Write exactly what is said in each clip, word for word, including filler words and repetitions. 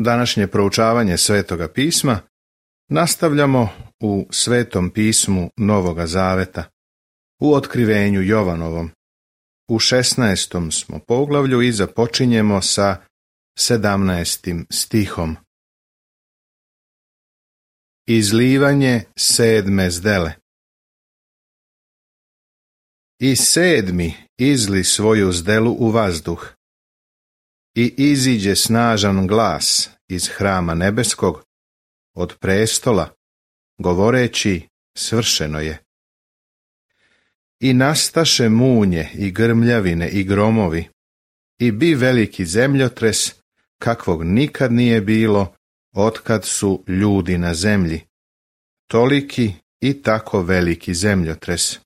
Današnje proučavanje Svetoga pisma nastavljamo u Svetom pismu Novoga Zaveta, u Otkrivenju Jovanovom. U šesnaestom smo poglavlju i započinjemo sa sedamnaestim stihom. Izlivanje sedme zdele. I sedmi izli svoju zdelu u vazduh, i iziđe snažan glas iz hrama nebeskog, od prestola, govoreći, svršeno je. I nastaše munje i grmljavine i gromovi, i bi veliki zemljotres, kakvog nikad nije bilo, otkad su ljudi na zemlji, toliki i tako veliki zemljotres.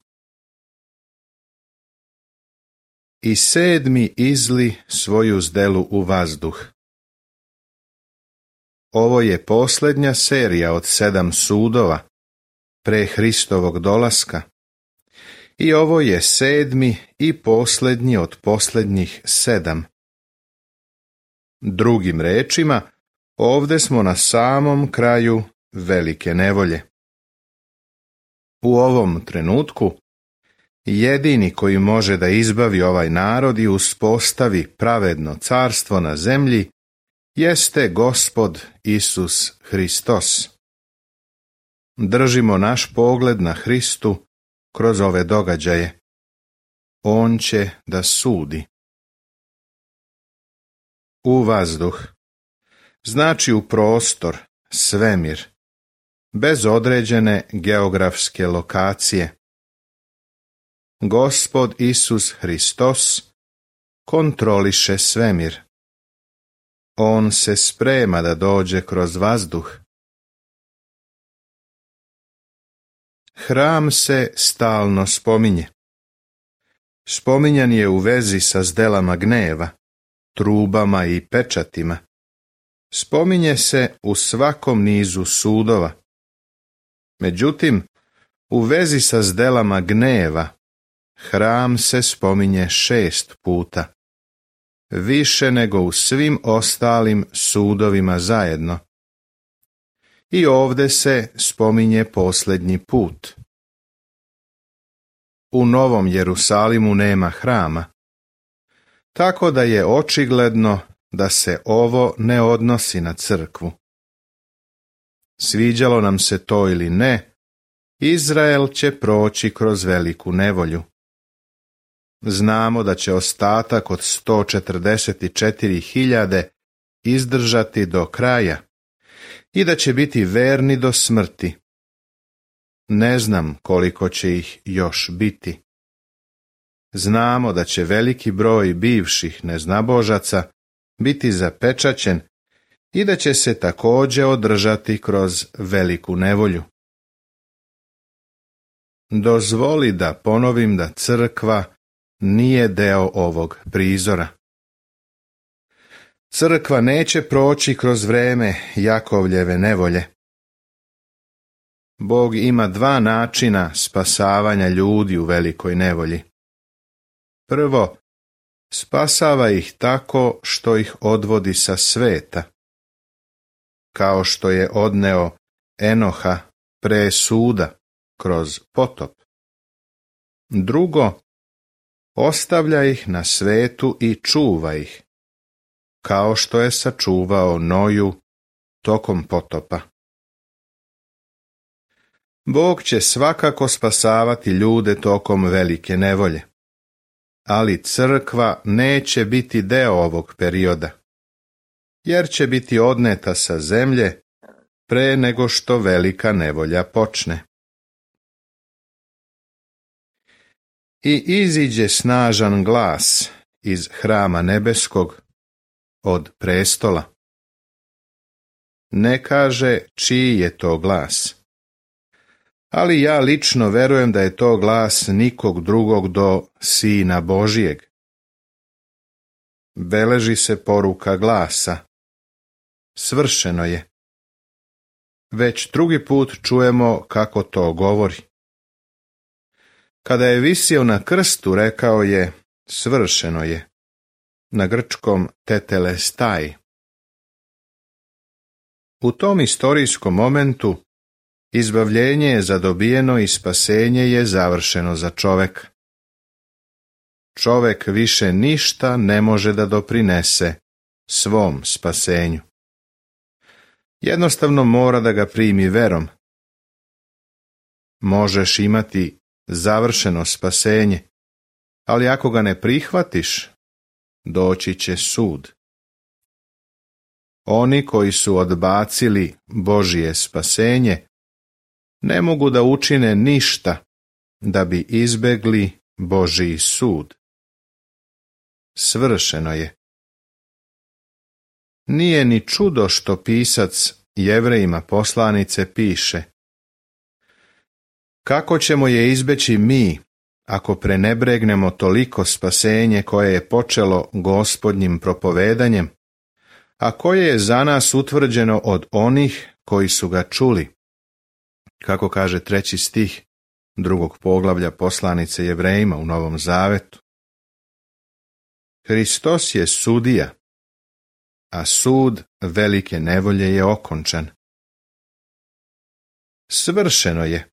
I sedmi izli svoju zdelu u vazduh. Ovo je posljednja serija od sedam sudova pre Hristovog dolaska i ovo je sedmi i posljednji od posljednjih sedam. Drugim rečima, ovdje smo na samom kraju velike nevolje. U ovom trenutku jedini koji može da izbavi ovaj narod i uspostavi pravedno carstvo na zemlji jeste Gospod Isus Hristos. Držimo naš pogled na Hristu kroz ove događaje. On će da sudi. U vazduh znači u prostor, svemir, bez određene geografske lokacije. Gospod Isus Hristos kontroliše svemir. On se sprema da dođe kroz vazduh. Hram se stalno spominje. Spominjan je u vezi sa zdelama gneva, trubama i pečatima. Spominje se u svakom nizu sudova. Međutim, u vezi sa zdelama gneva, hram se spominje šest puta, više nego u svim ostalim sudovima zajedno. I ovdje se spominje posljednji put. U Novom Jerusalimu nema hrama, tako da je očigledno da se ovo ne odnosi na crkvu. Sviđalo nam se to ili ne, Izrael će proći kroz veliku nevolju. Znamo da će ostatak od sto četrdeset četiri hiljade izdržati do kraja i da će biti verni do smrti. Ne znam koliko će ih još biti. Znamo da će veliki broj bivših neznabožaca biti zapečaćen i da će se također održati kroz veliku nevolju. Dozvoli da ponovim da crkva nije deo ovog prizora. Crkva neće proći kroz vreme Jakovljeve nevolje. Bog ima dva načina spasavanja ljudi u velikoj nevolji. Prvo, spasava ih tako što ih odvodi sa sveta, kao što je odneo Enoha pre suda kroz potop. Drugo, ostavlja ih na svetu i čuva ih, kao što je sačuvao Noju tokom potopa. Bog će svakako spasavati ljude tokom velike nevolje, ali crkva neće biti deo ovog perioda, jer će biti odneta sa zemlje pre nego što velika nevolja počne. I iziđe snažan glas iz hrama nebeskog, od prestola. Ne kaže čiji je to glas, ali ja lično verujem da je to glas nikog drugog do Sina Božijeg. Beleži se poruka glasa. Svršeno je. Već drugi put čujemo kako to govori. Kada je visio na krstu, rekao je, svršeno je, na grčkom tetelestai. U tom istorijskom momentu izbavljenje je zadobijeno i spasenje je završeno za čoveka. Čovek više ništa ne može da doprinese svom spasenju. Jednostavno mora da ga primi verom. Možeš imati završeno spasenje, ali ako ga ne prihvatiš, doći će sud. Oni koji su odbacili Božje spasenje ne mogu da učine ništa da bi izbegli Božji sud. Svršeno je. Nije ni čudo što pisac Jevrejima poslanice piše: kako ćemo je izbeći mi, ako prenebregnemo toliko spasenje koje je počelo Gospodnjim propovedanjem, a koje je za nas utvrđeno od onih koji su ga čuli, kako kaže treći stih drugog poglavlja poslanice Jevrejima u Novom Zavetu. Hristos je sudija, a sud velike nevolje je okončan. Svršeno je.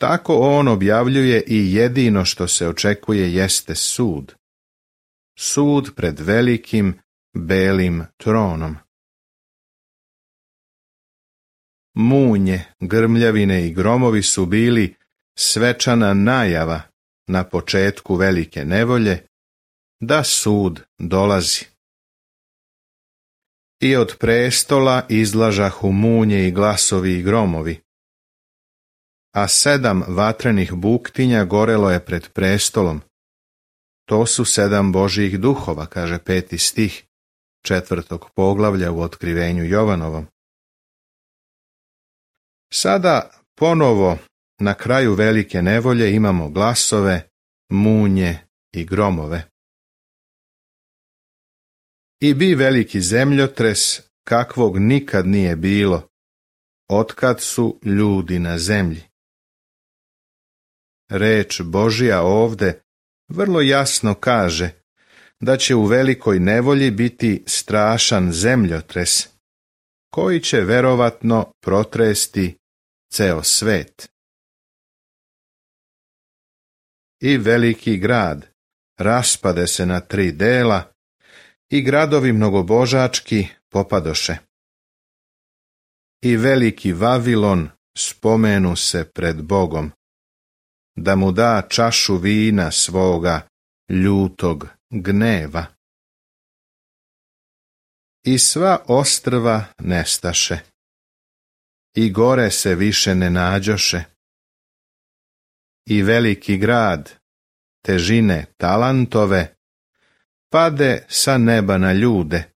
Tako on objavljuje i jedino što se očekuje jeste sud. Sud pred velikim belim tronom. Munje, grmljavine i gromovi su bili svečana najava na početku velike nevolje da sud dolazi. I od prestola izlažahu munje i glasovi i gromovi, a sedam vatrenih buktinja gorelo je pred prestolom. To su sedam Božjih duhova, kaže peti stih četvrtog poglavlja u Otkrivenju Jovanovom. Sada ponovo na kraju velike nevolje imamo glasove, munje i gromove. I bi veliki zemljotres kakvog nikad nije bilo, otkad su ljudi na zemlji. Reč Božja ovde vrlo jasno kaže da će u velikoj nevolji biti strašan zemljotres, koji će verovatno protresti ceo svet. I veliki grad raspade se na tri dela, i gradovi mnogobožački popadoše. I veliki Vavilon spomenu se pred Bogom, da mu da čašu vina svoga ljutog gneva. I sva ostrva nestaše, i gore se više ne nađoše. I veliki grad, težine talantove, pade sa neba na ljude,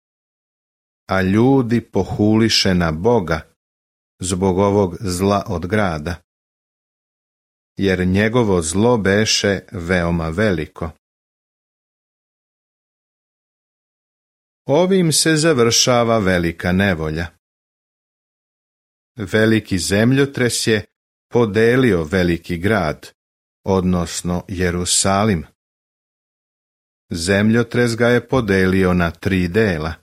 a ljudi pohuliše na Boga zbog ovog zla od grada, jer njegovo zlo beše veoma veliko. Ovim se završava velika nevolja. Veliki zemljotres je podelio veliki grad, odnosno Jerusalim. Zemljotres ga je podelio na tri dela.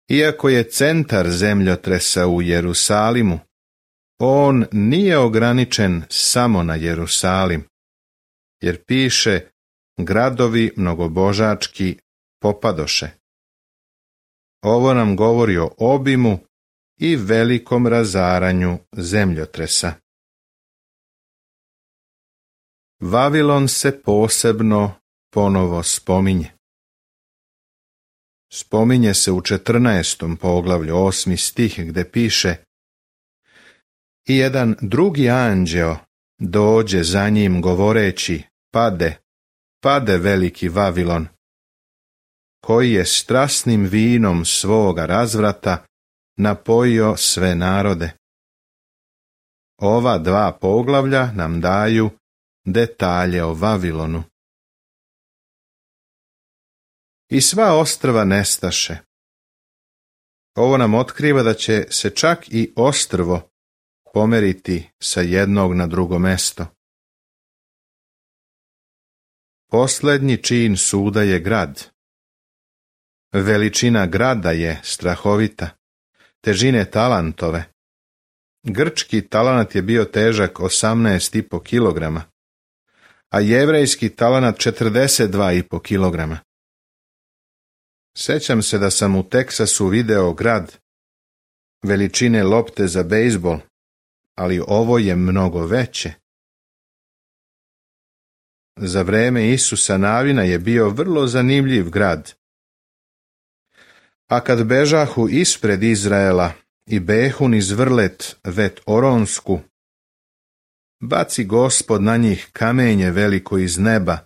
Iako je centar zemljotresa u Jerusalimu, on nije ograničen samo na Jerusalim, jer piše gradovi mnogobožački popadoše. Ovo nam govori o obimu i velikom razaranju zemljotresa. Vavilon se posebno ponovo spominje. Spominje se u četrnaestom poglavlju, osmi stih, gde piše: i jedan drugi anđeo dođe za njim govoreći: pade, pade veliki Vavilon, koji je strasnim vinom svoga razvrata napojio sve narode. Ova dva poglavlja nam daju detalje o Vavilonu. I sva ostrva nestaše. Ovo nam otkriva da će se čak i ostrvo pomeriti sa jednog na drugo mesto. Poslednji čin suda je grad. Veličina grada je strahovita, težine talantove. Grčki talanat je bio težak osamnaest i po kilograma, a jevrejski talanat četrdeset dva i po kilograma. Sećam se da sam u Teksasu video grad veličine lopte za bejzbol, ali ovo je mnogo veće. Za vreme Isusa Navina je bio vrlo zanimljiv grad. A kad bežahu ispred Izraela i behu niz vrlet vet Oronsku, baci Gospod na njih kamenje veliko iz neba,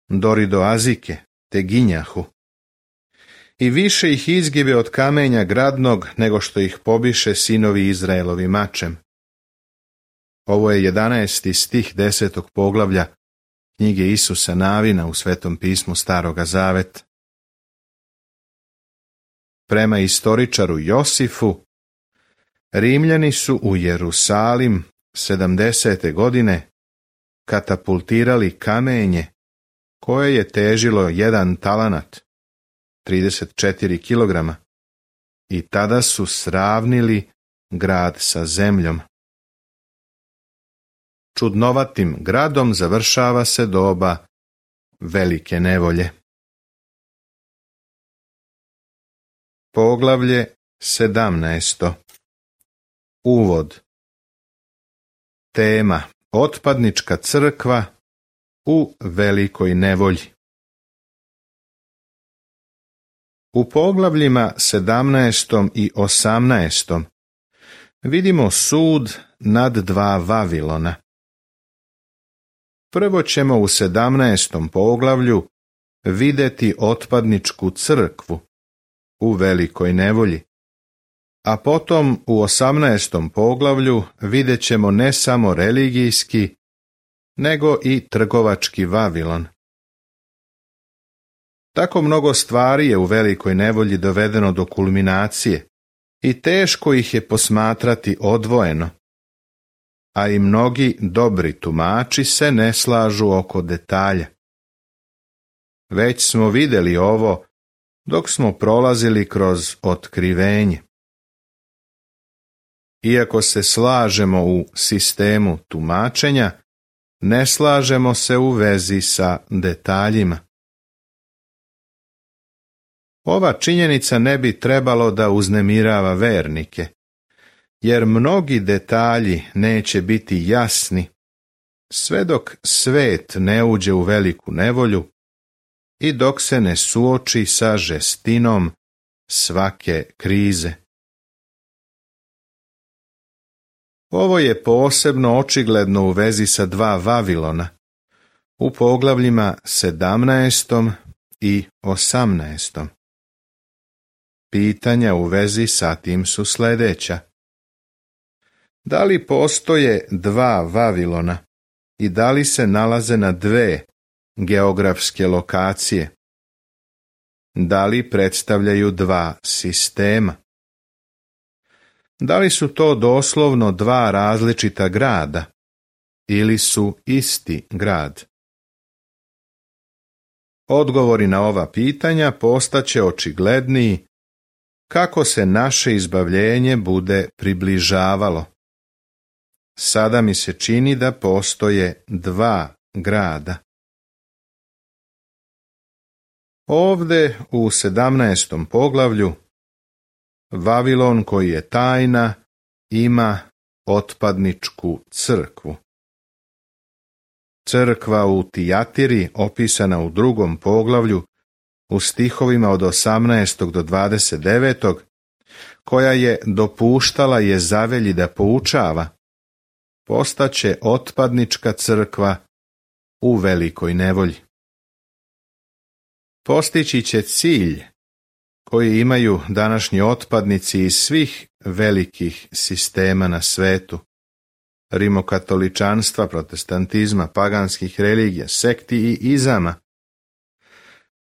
dori do Azike, te ginjahu. I više ih izgibe od kamenja gradnog, nego što ih pobiše sinovi Izraelovi mačem. Ovo je jedanaesti stih desetog poglavlja knjige Isusa Navina u Svetom pismu Staroga Zaveta. Prema istoričaru Josifu, Rimljani su u Jerusalim sedamdesete godine katapultirali kamenje koje je težilo jedan talanat, trideset četiri kilograma, i tada su sravnili grad sa zemljom. Čudnovatim gradom završava se doba velike nevolje. Poglavlje sedamnaesto. Uvod. Tema: otpadnička crkva u velikoj nevolji. U poglavljima sedamnaestom i osamnaestom vidimo sud nad dva Vavilona. Prvo ćemo u sedamnaestom poglavlju vidjeti otpadničku crkvu u velikoj nevolji, a potom u osamnaestom poglavlju vidjet ćemo ne samo religijski, nego i trgovački Vavilon. Tako mnogo stvari je u velikoj nevolji dovedeno do kulminacije i teško ih je posmatrati odvojeno, a i mnogi dobri tumači se ne slažu oko detalja. Već smo vidjeli ovo dok smo prolazili kroz otkrivenje. Iako se slažemo u sistemu tumačenja, ne slažemo se u vezi sa detaljima. Ova činjenica ne bi trebalo da uznemirava vernike, jer mnogi detalji neće biti jasni sve dok svet ne uđe u veliku nevolju i dok se ne suoči sa žestinom svake krize. Ovo je posebno očigledno u vezi sa dva Vavilona, u poglavljima sedamnaestom i osamnaestom. Pitanja u vezi sa tim su sljedeća. Da li postoje dva Vavilona i da li se nalaze na dve geografske lokacije? Da li predstavljaju dva sistema? Da li su to doslovno dva različita grada ili su isti grad? Odgovori na ova pitanja postaće očigledniji kako se naše izbavljenje bude približavalo. Sada mi se čini da postoje dva grada. Ovde u sedamnaestom poglavlju Vavilon koji je tajna ima otpadničku crkvu. Crkva u Tijatiri, opisana u drugom poglavlju u stihovima od osamnaestog do dvadeset devetog, koja je dopuštala Jezavelji da poučava, postaće otpadnička crkva u velikoj nevolji. Postići će cilj koji imaju današnji otpadnici iz svih velikih sistema na svetu, rimokatoličanstva, protestantizma, paganskih religija, sekti i izama.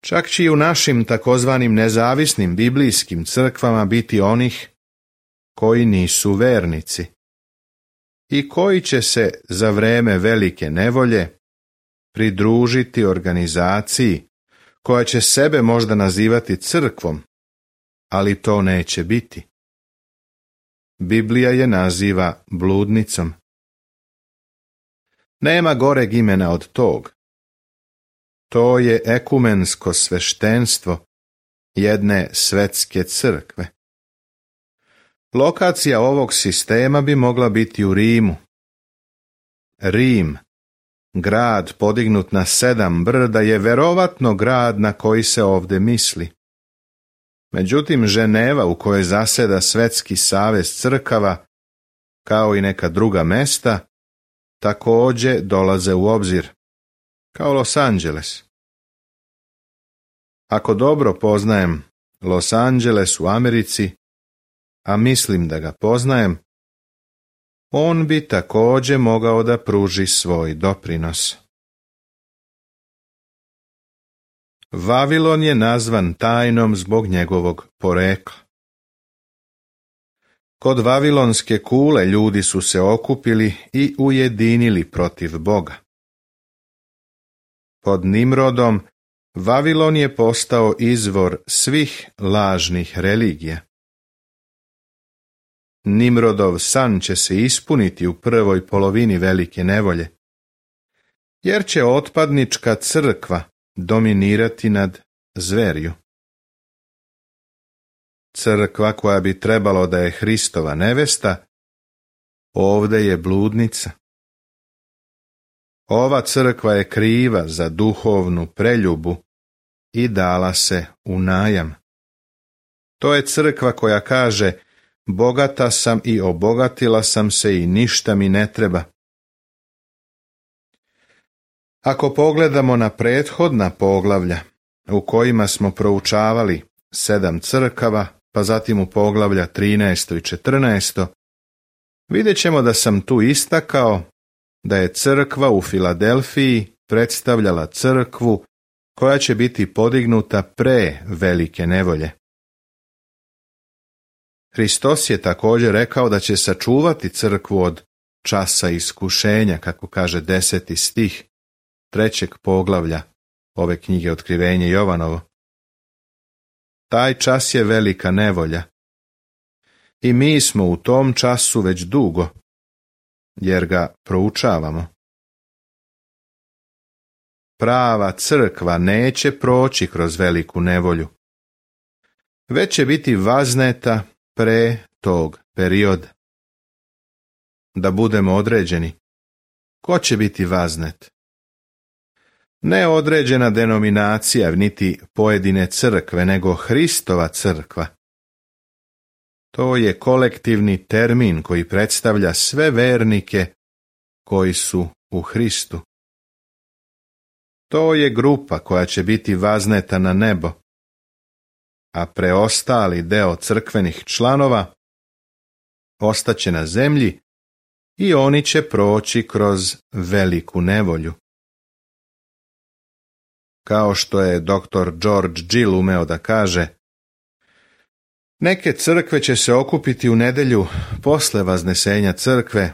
Čak će i u našim takozvanim nezavisnim biblijskim crkvama biti onih koji nisu vernici i koji će se za vreme velike nevolje pridružiti organizaciji koja će sebe možda nazivati crkvom, ali to neće biti. Biblija je naziva bludnicom. Nema goreg imena od tog. To je ekumensko sveštenstvo jedne svetske crkve. Lokacija ovog sistema bi mogla biti u Rimu. Rim, grad podignut na sedam brda, je verovatno grad na koji se ovdje misli. Međutim, Ženeva, u kojoj zaseda Svetski savez crkava, kao i neka druga mesta, također dolaze u obzir, kao Los Angeles. Ako dobro poznajem Los Angeles u Americi, a mislim da ga poznajem, on bi također mogao da pruži svoj doprinos. Vavilon je nazvan tajnom zbog njegovog porekla. Kod vavilonske kule ljudi su se okupili i ujedinili protiv Boga. Pod Nimrodom Vavilon je postao izvor svih lažnih religija. Nimrodov san će se ispuniti u prvoj polovini velike nevolje, jer će otpadnička crkva dominirati nad zverju. Crkva koja bi trebalo da je Hristova nevesta, ovdje je bludnica. Ova crkva je kriva za duhovnu preljubu i dala se u najam. To je crkva koja kaže: bogata sam i obogatila sam se i ništa mi ne treba. Ako pogledamo na prethodna poglavlja u kojima smo proučavali sedam crkava, pa zatim u poglavlja trinaesto i četrnaesto, vidjet ćemo da sam tu istakao da je crkva u Filadelfiji predstavljala crkvu koja će biti podignuta pre velike nevolje. Hristos je također rekao da će sačuvati crkvu od časa iskušenja, kako kaže deseti stih trećeg poglavlja ove knjige Otkrivenje Jovanovo. Taj čas je velika nevolja i mi smo u tom času već dugo, jer ga proučavamo. Prava crkva neće proći kroz veliku nevolju, već će biti vazneta pre tog perioda. Da budemo određeni, ko će biti vaznet? Ne određena denominacija, niti pojedine crkve, nego Hristova crkva. To je kolektivni termin koji predstavlja sve vernike koji su u Hristu. To je grupa koja će biti vazneta na nebo, a preostali deo crkvenih članova ostaće na zemlji i oni će proći kroz veliku nevolju. Kao što je doktor George Gill umeo da kaže: neke crkve će se okupiti u nedjelju posle vaznesenja crkve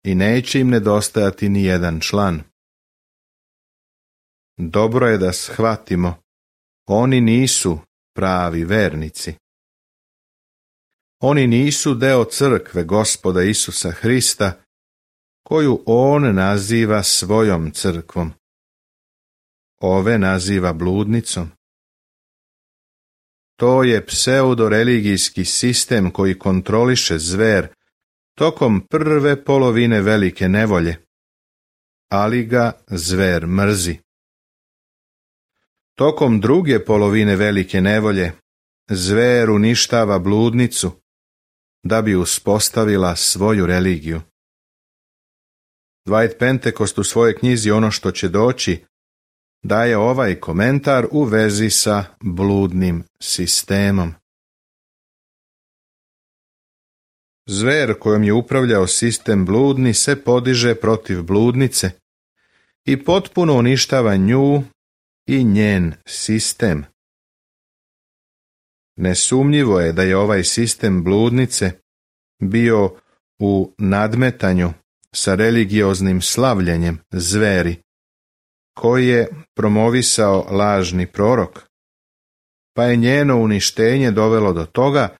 i neće im nedostajati ni jedan član. Dobro je da shvatimo, oni nisu pravi vernici. Oni nisu deo crkve Gospoda Isusa Hrista, koju on naziva svojom crkvom. Ove naziva bludnicom. To je pseudoreligijski sistem koji kontroliše zver tokom prve polovine velike nevolje, ali ga zver mrzi. Tokom druge polovine velike nevolje zver uništava bludnicu da bi uspostavila svoju religiju. Dwight Pentecost u svojoj knjizi Ono što će doći daje ovaj komentar u vezi sa bludnim sistemom. Zver kojom je upravljao sistem bludni se podiže protiv bludnice i potpuno uništava nju i njen sistem. Nesumnjivo je da je ovaj sistem bludnice bio u nadmetanju sa religioznim slavljenjem zveri, koji je promovisao lažni prorok, pa je njeno uništenje dovelo do toga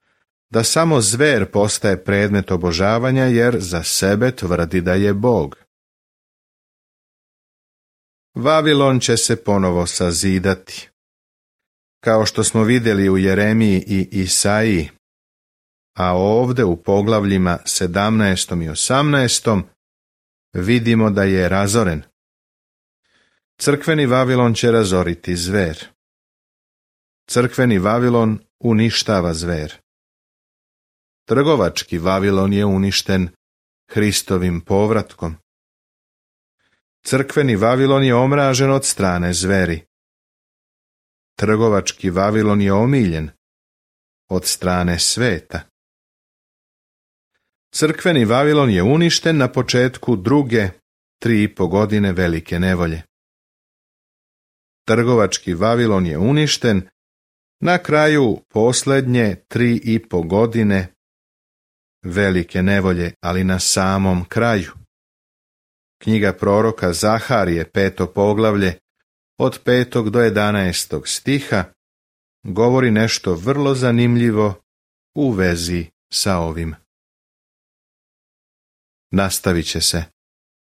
da samo zver postaje predmet obožavanja jer za sebe tvrdi da je Bog. Vavilon će se ponovo sazidati. Kao što smo vidjeli u Jeremiji i Isaiji, a ovdje u poglavljima sedamnaestom i osamnaestom vidimo da je razoren. Crkveni Vavilon će razoriti zver. Crkveni Vavilon uništava zver. Trgovački Vavilon je uništen Hristovim povratkom. Crkveni Vavilon je omražen od strane zveri. Trgovački Vavilon je omiljen od strane sveta. Crkveni Vavilon je uništen na početku druge tri i po godine velike nevolje. Trgovački Vavilon je uništen na kraju posljednje tri i po godine velike nevolje, ali na samom kraju. Knjiga proroka Zaharije, peto poglavlje, od petog do jedanaestog stiha, govori nešto vrlo zanimljivo u vezi sa ovim. Nastavit će se.